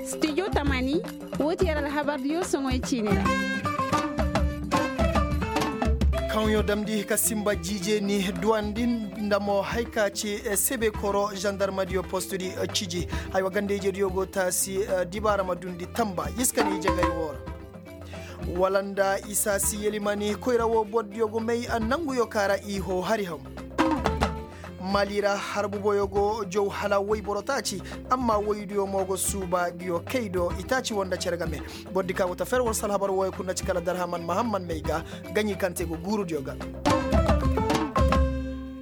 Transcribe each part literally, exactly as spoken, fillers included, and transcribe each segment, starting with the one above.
Studio tamani. Wo ti yer alhabar diyo soŋoy ciini ra. Kaŋ yo damndi ka simba jiije ni duwandi nda mo hay ka ci sebe koro zandarmadiyo postudi ciji. Aywa ganda ijediyo go taasi dibaara ma dundi tamba iska ni jagay wo ra. Wala nda isa si yelimani koyra wo bordiyo go may nanguyo kaara i ho hari haw. Mali ra harbu boyo go jow hala woy boro taaci. Amma woydiyo mo go suuba ngiyo kay do i taaci wo nda cere game. Bordi ka go ta fer war salhabar woyo kuna ci kala darhaman mahamman may ga gaɲi kaŋ te go guurudiyo ga.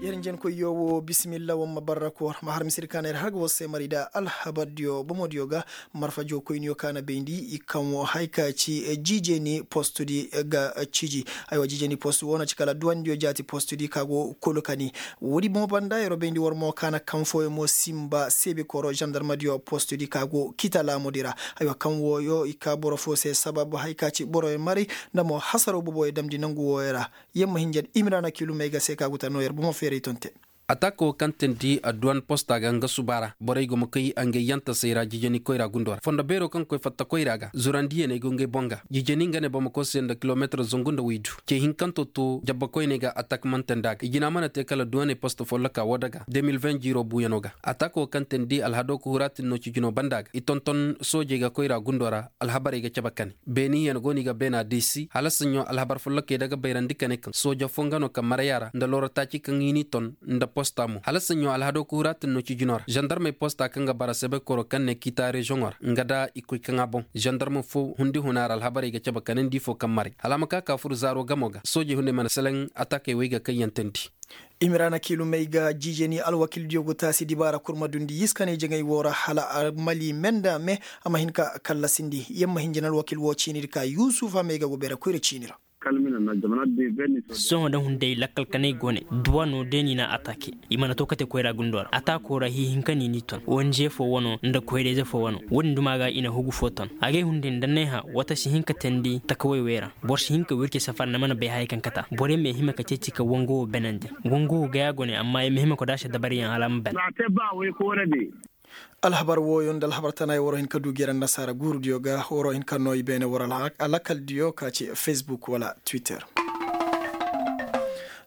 Yer njenkoyyo wo bisimilla wamma barra koor ma har misiri kaana yer har ga war se mari da alhabardiyo bomodiyo ga. Marfa jokoyniyo ka na bayndi i kaŋ wo hay ka ci jiijeni postudi ga ciji. Aywa jiijeni post wo na ci kala duwandiyo jaati postudi ka go kulu kani. Woodi bomo banda yero bayndi war mo ka na kaŋ fooyo mo simba seebi koro zandarmadiyo postudi ka go kita laamudi ra. Aywa kaŋ wooyo i ka boro foo se sabab hay ka ci boroyo maray nda mo hasaro boboyo damndi nangu wooyo ra. Yamma hinja da imiraana kiilumey ga se ka go ta noo yer bomo feeray tonte. Ataaka wo kaŋ teendi adduwan posta ga nga suba ra borey go ma koy ngey yantasey ra jijani koyra gundo ra fondo beero kaŋ koy fatta koyra ga zurandiyaney go ngey boŋ ga. Jijani nga ne bamako se nda kilomeetar zangu nda waydu ce hinkanto to jabbakoyney ga ataak mana teendi a ga i jina mana te kala duwaney posta folloka woo daga. Jiiro buuyano ga ataaka wo kaŋ teendi alhado ka huraatin no cijino banda ga i tonton soojey ga koyra gundo ra. Alhabarey ga cabe kane beeniyaŋ go no i ga beena deesi hala saɲɲo alhabar follokey daga bayrandi kane kaŋ sooja foo nga no ka maraya ra nda looro taaci kaŋ i n'i ton nda posta mo hala saɲɲo alhado ka huraatin no cijino ra zandarmey posta kaŋ ga bara sebekoro kaŋ ne kiita rezoŋo ra nga da i koy kaŋ a boŋ. Zandarm foo hundi huna ra alhabarey ga cabe kane nda ifo kaŋ maray hala a ma ka ka fur zaaro gamo ga soojey hunday mana seleŋ ataakey wey ga kaŋ yaŋ teendi. Imiraana kiilumey ga jiijeni alwakildiyo go taasi dibaara kurma dundi yiskaney jaŋay woo ra hala a mali me nda me. A ma hin ka kallasindi yamma hinjin alwakil woo ciinidi ka yuusuf a may ga go beere koyra ciini ra. Sohõ da hunday lakkal kanay go ne duwa no day no i na ataake. I mana to kate koyra gundo ra ataako ra hiihinka no i n'i ton onze foo wano nda koyrayze foo wano. Wo-din duma ga i na hugu foo ton agay hunday nda neeha wata si hin ka teendi takawey wey ra. Boro si hin ka wirci safar nda mana bay haya kaŋ kata borey ma hima ka ceeci ka wango wo benandi. Wango wo gaya go ne amma i ma hima ka daasa dabariyaŋ hala a ma ben. Alhabar wooyo nda alhabar tanaay waroo hin ka du gera nasaara guurudiyo ga waroo hin ka noo i beene war alakaldiyo ka ci facebook wala twitter.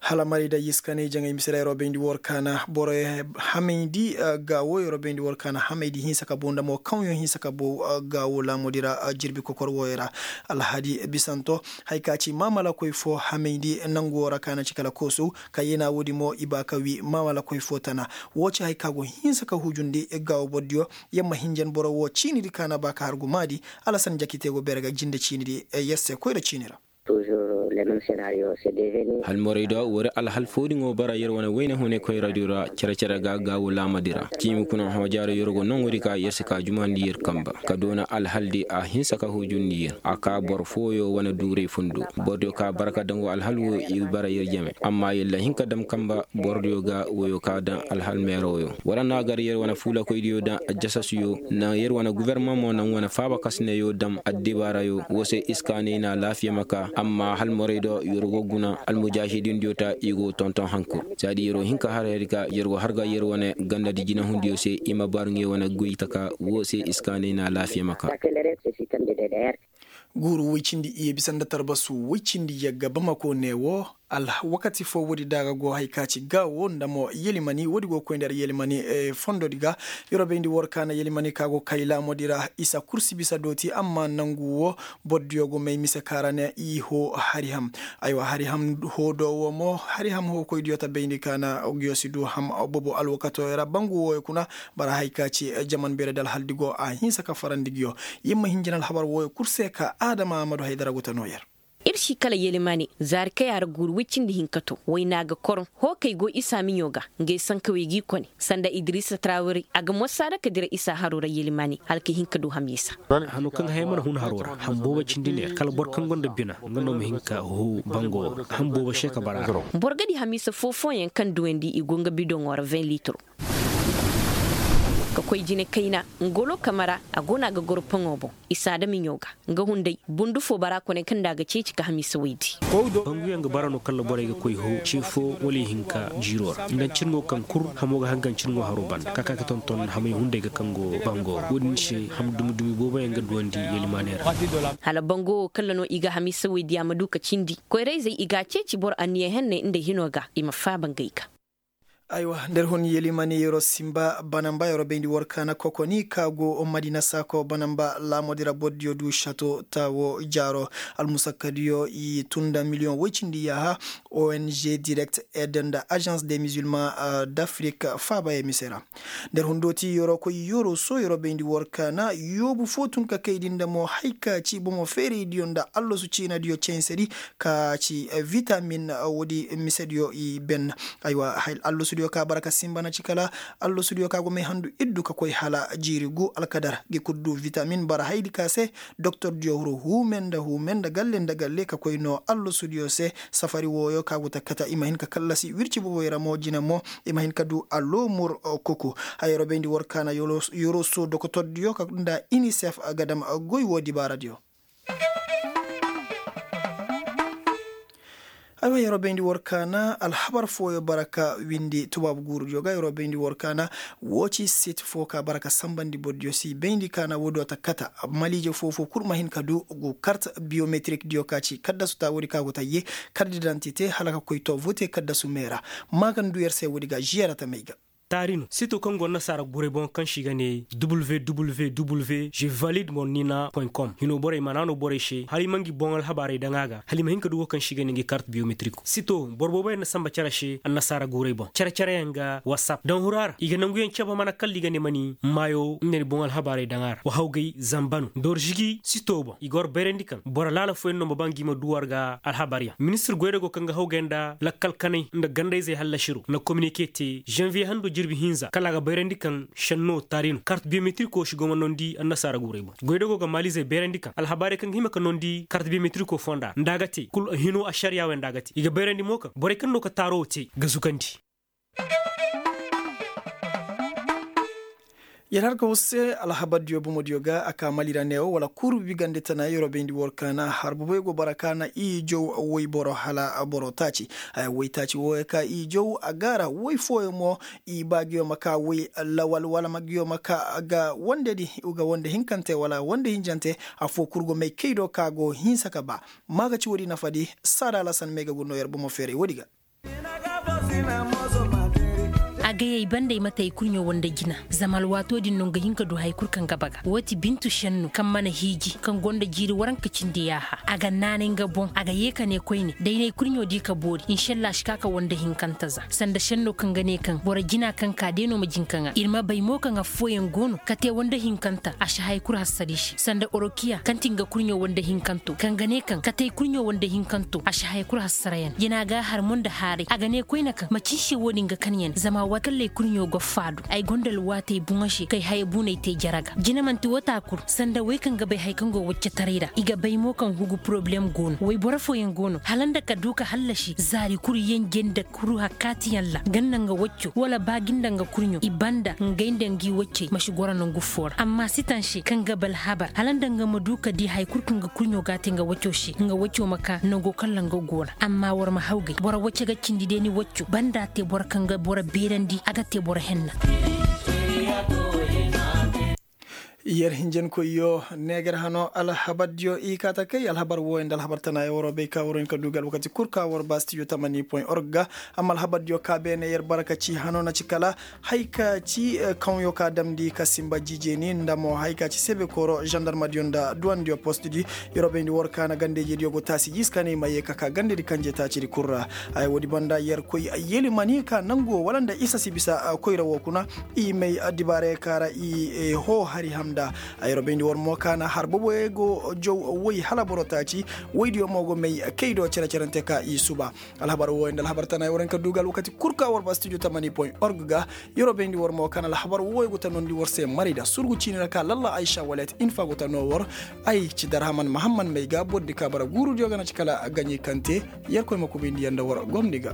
Hala maray da yiskanay jaŋay misira yeroo bayndi war kaana borey hamayndi gaawo yeroo bayndi war kaana hamayndi hinsa ka bow nda mo kaŋ yo hinsa ka bow gaawo laamudi ra. Jirbi kokor wooyo ra alhadi bisanto haya ka ci maamalakoy foo hamayndi nangu woo ra kaana ci kala koosu. Ka yeena woodi mo i ba ka wii maamalakoy foo tana. Woo ci haya ka go hinsa ka hujundi gaawo bordiyo. Yamma hinjan boro woo ciinidi kaana ba ka har gumaadi. Alasan jakite go beere ga jinde ciinidi yer se koyra ciini ra. Halmorey do wari alhal foodiŋo bara yer wane wayne hune koy radio ra cere-cere ga gaawo laamadi ra ciimi kuna hoojaaro yer go nongodi ka yer si ka jumandi yer kamba ka doona alhaldi a hinsa ka hujundi yer a ka boro fooyo wane duuray fundo. Bordiyo ka bara ka daŋ wo alhal wo i bara yer jame amma yer la hin ka dam kamba. Bordiyo ga woyo ka daŋ alhal meeroyo wala na gar yer wane fuulakoydiyo daŋ ajasasuyo naŋ yer wane guvermaŋ mo naŋ wane faaba kasneyo dam addibaarayo wo se iskaanay na alaafiya ma ka amma halmorey do yer go guna almujaahidindiyo ta i go tonton hankur. Saadi yer wo hin ka har hari ka yer go har ga yer wane gandadi jinahundiyo se i ma baaru ngey wane goy taka wo se iskaanay na alaafiya ma ka. Guuru woy cindi iyye bisa nda tarbasu woy cindi yagga bamako ne wo. Wakati foo woodi da a ga go hay ka ci gaawo nda mo yelimani woodi go koy nda yer yelimani fondodi ga. Yer wo bayndi war kaana yelimani ka go kay laamodi ra isa kursi bisa dooti amma nangu wo. Bordiyo go may mise ka ra ne i hoo hari ham. Aywa hari ham hoo do wo mo hari ham hoo koydiyo ta bayndi kaana nguyo si du ham bobo alwakatoyo ra bangu wooyo kuna. Bara hay ka ci jaman beeredi alhaldi go a hinsa ka farandi nguyo. Yer ma hin jina alhabar wooyo kul se ka adama aamadu haydara go ta noo yer. Ir si kala yelimane zaari kay a ra guuru woy cindi hinka to wayna ga koroŋ. Hookey go isa miɲo ga ngey sankawey g'i kone sanda idirisa trawari a ga mosaada ka dira isa haro ra yelimane hala ka hin ka du hamisa. Hano kaŋ ga hay mana hun haro ra ham boobo cindi neer kala boro kaŋ gonda bina nga no ma hin ka huu bango ra ham boobo se ka bara. Boro ga di hamisa foo-fooyaŋ kaŋ duwandi i go nga bidoŋo ra vingt litiro. Ka koy jine kayna ngolo kamara a go no a ga goro poŋo boŋ. Isa da miɲo ga nga hunday bundu fo bara kone kaŋ nda a ga ceeci ka hamiisa woy di. Banguyaŋ ga bara no kala borey ga koy ho ce fo wala ihinka jiiro ra nda cirŋo kaŋ kul hamo ga hangan cirŋo haro banda ka ka ga tonton hamay hunday ga kaŋ go bango wo-din se ham dumi-dumi booboyaŋ ga duwandi yelimaaney ra. Hala bango wo kala no i ga hamiisa woy di a ma du ka cindi koyra-izey i ga a ceeci boro anniya henney nda hino ga i ma faaba ngey ga. Aywa nda ir hun yelimani yer'o sinba bana nba yer'o bayndi war kaana kokoni ka go madina saako bana nba laamodi ra bordiyo du sato taawo jaaro almusakkadiyo i tun nda miliyoŋ woy cindi yaaha. Ong direct ed nda agence de musulman d'afrique faaba ye mise ra. Nda ir hun dooti yer'o koy yer'o so yer'o bayndi war kaana yoobu fo tun ka kay di nda mo hay ka ci bomo feeraydiyo nda allasu ciinadiyo censedi ka ci vitamin woodi misediyo i ben. Aywa, allasudiyo ka bara ka sinba na ci kala allasudiyo ka go may handu iddu ka koy hala jiiri gu alkadar gi kul du vitamin bara haydi ka se. Doktordiyo huru huume nda huume nda galle nda galle ka koy no allasudiyo se. Safari wooyo ka go ta kata i ma hin ka kallasi wirci boboy ra mo jine mo i ma hin ka du alomur. Kuku. Hayaro bayndi war kaana yoroso dokotordiyo ka nda inisef gadam goy wo dibaaradiyo. Aywa yeroo bayndi war kaana alhabar fooyo bara ka windi tubaabu guurudiyo ga yeroo bayndi war kaana. Woo ci sit foo ka bara ka sanbandi bordiyo si bayndi kaana woodiyo ta kata. Maliije foo foo kul ma hin ka du gu kart biyometrik diyo ka ci kaddasu ta woodi ka go ta yee kart didantite hala ka koy to vote kaddasu meera. Maagan du yer se woodi ga žiyara ta may ga. Taari no sito kaŋ go annasaara guray boŋ kaŋ se i ga ne www je valide mornina point com hino borey mana no borey se hala i ma ngi boŋ alhabaarey daŋ a ga hala i ma hin ka du wo kaŋ se i ga ne ngi kart biyometriko sito boro boobo yaŋ na samba cere se annasaara guray boŋ cere cere yaŋ ga whatsapp daŋ hura ra i ga nangu yaŋ cebe mana kalla i ga ne mani maayo nga ni boŋ alhabaarey daŋ a ra wa hawgay zamba no dorzigi sito boŋ i ga war bayrandi kaŋ boro laala fooyaŋ no ma ba ngi ma du war ga alhabaar yaŋ ministir goydago kaŋ ga hawgay nda lakkal kanay nda gandayzey hallasiro na kominike te janviye hando jirbi hinza kala a ga bayrandi kaŋ šenno taari no kart biyometriko si go ma nondi annasaara guurey boŋ goydago ga maalizey bayrandi kaŋ alhabaarey kaŋ ga hima ka nondi kart biyometriko fonda nda a ga te kul hino ašariya wey nda a ga te i ga bayrandi mo kaŋ borey kaŋ no ka taaro te ga zugandi. Yer har ka husse alhabardiyo bomodiyo ga a ka mali ra neewo wala kuru bigande tana yeroo bayndi war kaana har boboyo go bara kaana i jow woyboro hala boro taaci. Haya woy taaci wooyo ka i jow a gaara woy fooyo mo i ba giyo ma ka woy lawal wala ma giyo ma ka ga wandedi ga wande hinkante wala wande hinjante. Affoo kul go may kay do ka go hinsa ka ba. Maaga ci woodi nafadi saada alasan may ga gu no yer bomo feeray woodi ga. Agayey banda ay mate ay kurɲo wande jina. Zama alwaato din no nga hin ka du haya kul kaŋ ga baga woo ti bintu šennu kaŋ mana hiiji kaŋ gonda jiiri waranka cindi yaaha a ga naanay nga boŋ a ga yee ka ne koyne da ay na ay kurɲo di ka boori inšalla a si ka ka wande hinkanta za sanda šenno kaŋ ga ne kaŋ boro jina kaŋ ka day no ma jin ka ŋaa ir ma bay mo kaŋ affooyaŋ go no ka te wande hinkanta a si haya kul hassari se sanda orokiya kaŋ ti nga kurɲo wande hinkanto kaŋ ga ne kaŋ ka te ay kurɲo wande hinkanto a si haya kul hassara yaŋ jina ga a har mo nda haaray a ga ne koyne kaŋ macin se wo-din ga kan yaŋ zama waati kaŋ lay kurɲo go faadu ay gonda alwaatey boŋo se kay haya buuney te jere ga jina manti wata kul sanda wey kaŋ ga bay haya kaŋ go waccetaray ra i ga bay mo kaŋ hugu poroblem go no wayboro fooyaŋ go no hala nda ka du ka hallasi zaari kul yenje nda kuru hakkaatiyaŋ ra ganda nga wacco wala ba gi nda nga kurɲo i banda ngey nda ngi waccey ma si goro nangu foo ra amma si taŋ se kaŋ ga ba alhabar hala nda nga ma du ka di haya kul kaŋ ga kurɲo ga a te nga wacco se nga wacco ma ka nango kaŋ ra nga go ra amma war ma hawgay boro wacce ga cindi day ni wacco banda te boro kaŋ ga boro beerandi a ga te boro henna. Yer hinjankoyyo neegar hano alhabardiyo i kaata kay alhabar wooyo nda alhabar tana ye waroo bay ka waroo hin ka du ga alwakati kul ka war ba stijo tamani point org ga. Amma alhabardiyo ka beene yer barka ci hano na ci kala hay ka ci kaŋyo ka damndi ka sinba jiijeeni nda mo hay ka ci sebe kooro zandarmadiyo nda duwandiyo postdi. Yer wo bayndi war ka na gandejediyo go taasi jiis ka ne i ma yee ka ka gandedi kanje taacidi kul ra. Haya woodi banda yer koy yelimani ka nangu wo wala nda isa si bisa koyra wo kuna. I may addibaarey ka ra i hoo hari hamnda. Ay robayndi war mo ka na har boboyey go jow woy hala boro taaci. Woydiyo mo go may kay do cere-cerante ka i suba. Alhabar wooyo nda alhabar tana ay war hin ka du ga alwakati kul ka war ba stijo tamani point org ga. Yer robayndi war mo ka na alhabar wooyo go ta noondi war se marayda surgu ciini ra ka lalla aysa walet infa go ta noo war. Ay ci darhaman mahamman may ga bordi ka bara guurudiyo ga na ci kala gaɲey kaŋ te. Yerkoy ma kubayndi yer nda war gomni ga.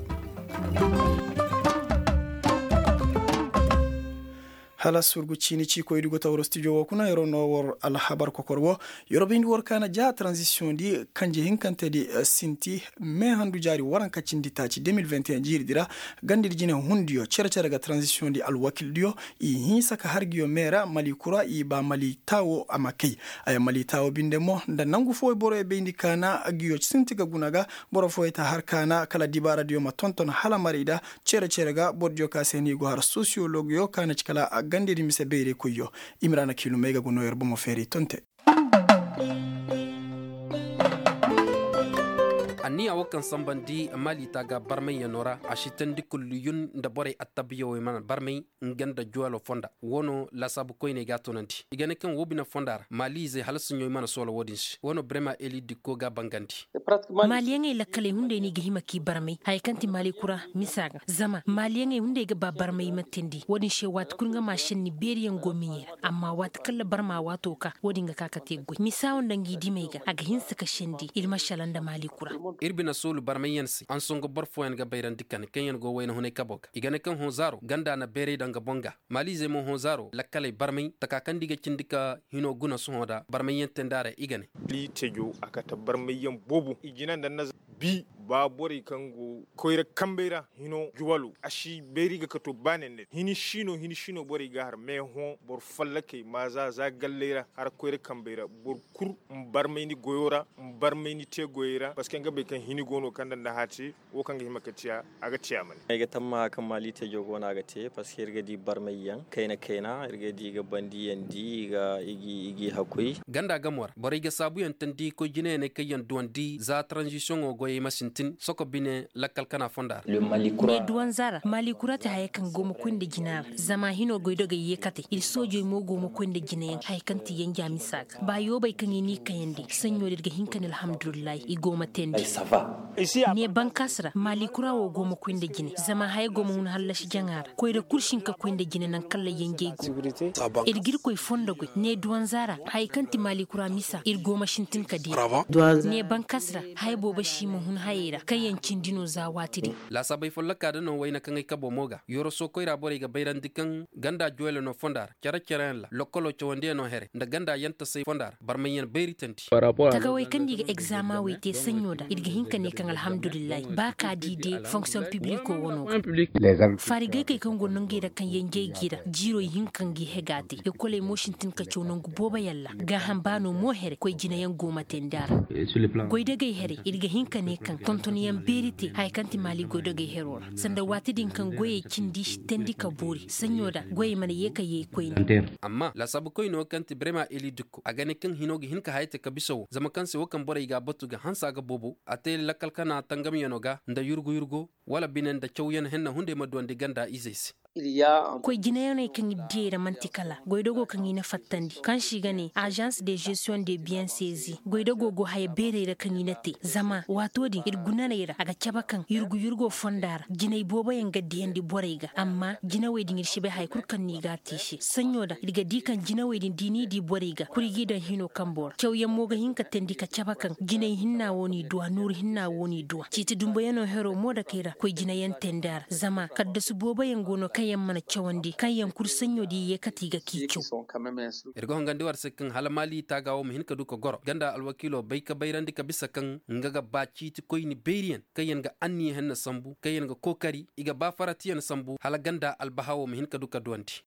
Hala surgu ciini ciikoydi go ta war studio wo kuna yeroo no war alhabar kokor wo. Yeroo bayndi war kaana ja transition di kanje hinkante di sinti me handu jaari waranka cindi taaci deux mille vingt et un jiiri di ra. Gandi di jine hundiyo cere cere ga transition di alwakil diyo i hinsa ka har ngiyo me ra mali kura i ba mali taawo a ma kay. Aya mali taawo binde mo nda nangu fooyo boroyo bayndi kaana ngiyo sinti ga guna ga. Boro fooyo ta har kaana kala dibaara diyo ma tonton hala maray da. Cere cere ga boro diyo ka se ni go har sosiyolog yo ka na ci kala gandedi mise bayray koyyo. Imrana kiilumey ga go no yer bomo feeri tonte. Anniya wo kaŋ sambandi maali taaga barmayyanoo ra a si teendi kulliyun nda borey attabiyawey mana barmay nga nda juwalo fonda. Wo no laasaabu koyney ga a tunandi i ga ne kaŋ wo bine fonda ra maaliizey hala suɲoy mana soola wo-din se wo no brema eli dikko ga a bangandi. Maaliyaŋey lakkaley hunday no i ga hima k'i barmay haya kaŋ ti maali kura misa ga zama maaliyaŋey hunday ga ba barmay i ma teendi wo-din se waati kul nga ma senni beeriyaŋ go miɲey ra amma waati kaŋ labar ma waato ka wo-din ga ka ka te goy misa wo nda ngi dimey ga a ga hinsa ka sendi ir ma shala nda maali kura. Ir bine soolu barmayyaŋ se ansongo boro fooyaŋ ga bayrandi kani kaŋyaŋ go wayna hunay kabo ga i ga ne kaŋ hõ zaaro ganda na beeray daŋ ga boŋ ga. Maaliizey mo hõ zaaro lakkaley barmay taka kaŋ nda i ga cindi ka hino guna sohõ da barmayyaŋ teendi a ra i ga ne. Liitejo a kate barmayyaŋ boobo i jina nda na bi ba borey kaŋ go koyra kambey ra hino juwalo a si bayri ga kato ba ne ne hini siino hini siino borey ga har meehõ boro fallakey ma za za galley ra har koyra kambey ra boro kul ma barmay ni goyo ra ma barmay ni te goyey ra parceque nga bay kaŋ hini go no kaŋ nda nda hã te wo kaŋ ga hima ka te a ga te a ma ne. Ay ga tammaha kaŋ maali tejo go no a ga te parceque ir ga di barmayyaŋ kayna kayna ir ga di i ga bandiyandi i g'i hakuy. Ganda gamo ra borey ga saabuyaŋ teendi koy jinayaney kaŋ yaŋ duwandi za tranzisiyoŋo goyey ma sintin soko bine lakkal kana fonda ra. Ne duwanza ra maali kura te haya kaŋ go ma koy nda jina ra zama hino goydogey yeekatey ir soojey mo go ma koy nda jinayaŋ haya kaŋ ti yanja misa ga ba yoobey kaŋ i n'i kayandi saɲɲo din ir ga hin ka ne alhamdulillahi i go ma teendi. Ne bankaasi ra maali kura wo go ma koy nda jine zama haya go ma hun hallasi jaŋa ra koyra kul si hin ka koy nda jine naŋ kaŋ ra yanjey go. Ir ga irkoy fondo goy ne duwanza ra haya kaŋ ti maali kura misa ir go ma sintin ka diya. Ne bankaasi ra haya boobo si ma hun hayey ra kaŋ yaŋ cindi no za waati din. Laasaabey folloka da no wayna kaŋ ay kabo mo ga yoroso koyra borey ga bayrandi kaŋ ganda juwayla no fonda ra care careyaŋ ra lokkolo cawandiyaŋo here nda ganda yantasey fonda ra barmayyaŋ bayri teendi. Tagawey kaŋ nda i ga egzama wey te saɲɲo da ir ga hin ka ne kaŋ alhamdulillahi ba ka di de fonksiyoŋ pibliko wano ga. Faarigaykey kaŋ go nangey ra kaŋ yanjey g'i ra jiiro i hin ka ngi hega te ekoley mo sintin ka caw nangu booboyaŋ ra gaaham baano mo here koy jinayaŋ go ma teendi a ra. Goydogey here ir ga hin ka ne kaŋ tontonyaŋ beeri te haya kaŋ ti maali goydogey hero ra sanda waati din kaŋ goyey cindi si teendi ka boori saɲɲo da goyey mana ye ka yee koyne. Amma laasaabu koyne wo kaŋ ti brema eli dukko a ga ne kaŋ hino ga hin ka haya te ka bisa wo zama kaŋ se wo kaŋ borey ga a batu ga hanse a ga boobo a te lakkal kana tangamyaŋo ga nda yurgu yurgo wala bine nda cawyaŋ henna hunday ma duwandi ganda izey se. Koy jinayaŋey kaŋ ir diyey ra man'ti kala goydogo kaŋ i na fattandi kaŋ se i ga ne azans de gestiyoŋ de biyeŋ sezi goydogo go haya beerey ra kaŋ i na te zama waato din ir gunaney ra a ga cabe kaŋ yurgu yurgo fonda ra jinay booboyaŋ ga diyandi borey ga amma jinawey din ir si bay haya kul kaŋ no i ga a te i se saɲɲo da ir ga di kaŋ jinawey din da i n'i di borey ga kul i g'i daŋ hino kambo ra cawyaŋ mo ga hin ka teendi ka cabe kaŋ jinay hinna wo n'i duwa nooru hinna wo n'i duwa ciiti dumbuyaŋo hero mo dakey ra koy jinayaŋ teendi a ra zama kaddasu booboyaŋ go no kaŋ yaŋ mana cawandi kaŋ yaŋ kul saɲɲo da i ye kate i ga k'i caw. Ir ga hongandi war se kaŋ hala maali taaga wo ma hin ka du ka goro ganda alwakiilo bay ka bayrandi ka bisa kaŋ nga ga ba ciiti koyni beeriyaŋ kaŋ yaŋ ga anniya henna sambu kaŋ yaŋ ga kookari i ga ba faratiyaŋ sambu hala ganda albaha wo ma hin ka du ka duwandi.